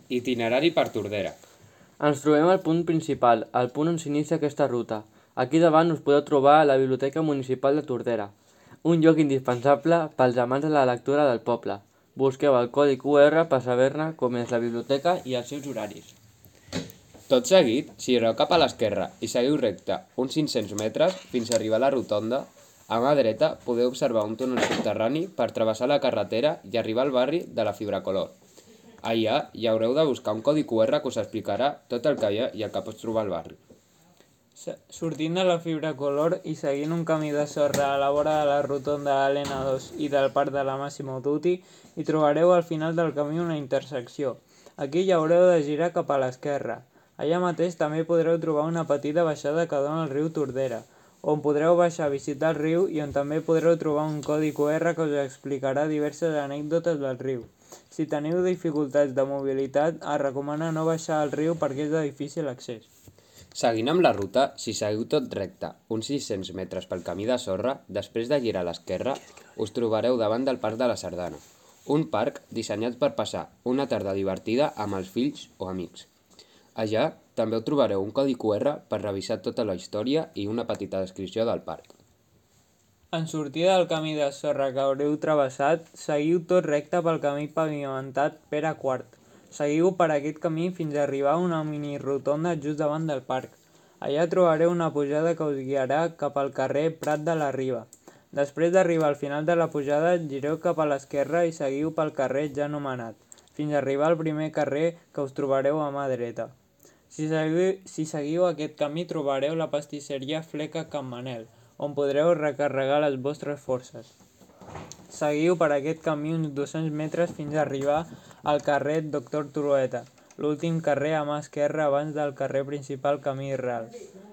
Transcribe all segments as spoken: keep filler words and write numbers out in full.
Itinerari per Tordera. Ens trobem al punt principal, al punt on s'inicia aquesta ruta. Aquí davant us podeu trobar la Biblioteca Municipal de Tordera, un lloc indispensable pels amants de la lectura del poble. Busqueu el codi Q R per saber-ne com és la biblioteca i els seus horaris. Tot seguit, gireu cap a l'esquerra i seguiu recte uns cinc-cents metres fins a arribar a la rotonda. A mà dreta podeu observar un túnel subterrani per travessar la carretera i arribar al barri de la Fibracolor. Allà hi haureu de buscar un codi Q R que us explicarà tot el que hi ha i el que pots trobar al barri. Sortint de la Fibracolor i seguint un camí de sorra a la vora de la rotonda de l'N dos i del parc de la Massimo Dutti, hi trobareu al final del camí una intersecció. Aquí hi haureu de girar cap a l'esquerra. Allà mateix també podreu trobar una petita baixada que dona al riu Tordera, on podreu baixar a visitar el riu i on també podreu trobar un codi Q R que us explicarà diverses anècdotes del riu. Si teniu dificultats de mobilitat, es recomana no baixar al riu perquè és de difícil accés. Seguint amb la ruta, si seguiu tot recte uns sis-cents metres pel camí de sorra, després de girar a l'esquerra, us trobareu davant del Parc de la Sardana, un parc dissenyat per passar una tarda divertida amb els fills o amics. Allà també ho trobareu un codi Q R per revisar tota la història i una petita descripció del parc. En sortir del camí de sorra que haureu travessat, seguiu tot recte pel camí pavimentat Pere quart. Seguiu per aquest camí fins a arribar a una mini rotonda just davant del parc. Allà trobareu una pujada que us guiarà cap al carrer Prat de la Riba. Després d'arribar al final de la pujada, gireu cap a l'esquerra i seguiu pel carrer ja anomenat, fins a arribar al primer carrer que us trobareu a mà dreta. Si seguiu, si seguiu aquest camí trobareu la pastisseria Fleca Can Manel, on podreu recarregar les vostres forces. Seguiu per aquest camí uns dos-cents metres fins a arribar al carrer Doctor Trueta, l'últim carrer a mà esquerra abans del carrer principal Camí Real.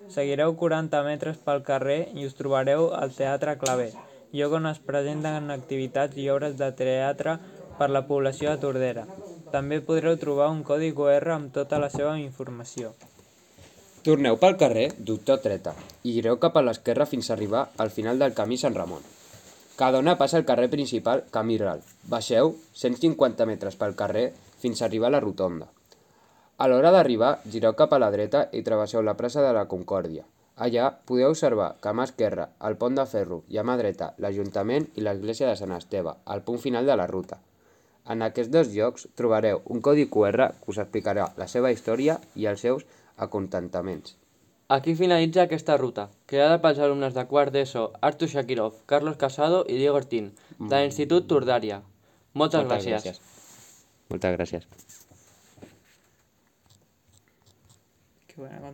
Seguireu quaranta metres pel carrer i us trobareu al Teatre Claver, lloc on es presenten activitats i obres de teatre per la població de Tordera. També podreu trobar un codi Q R amb tota la seva informació. Torneu pel carrer Doctor Treta i gireu cap a l'esquerra fins a arribar al final del camí Sant Ramon. Cada dona passa al carrer principal Camí Real. Baixeu cent cinquanta metres pel carrer fins a arribar a la rotonda. A l'hora d'arribar, gireu cap a la dreta i travesseu la plaça de la Concòrdia. Allà podeu observar que a mà esquerra el pont de ferro i a mà dreta l'Ajuntament i l'església de Sant Esteve, al punt final de la ruta. En aquests dos llocs trobareu un codi Q R que us explicarà la seva història i els seus acontentaments. Aquí finalitza aquesta ruta, creada pels alumnes de quart d'ESO Artur Shakirov, Carlos Casado i Diego Ortín, de l'Institut Tordària. Moltes gràcies. Moltes gràcies. Qué buena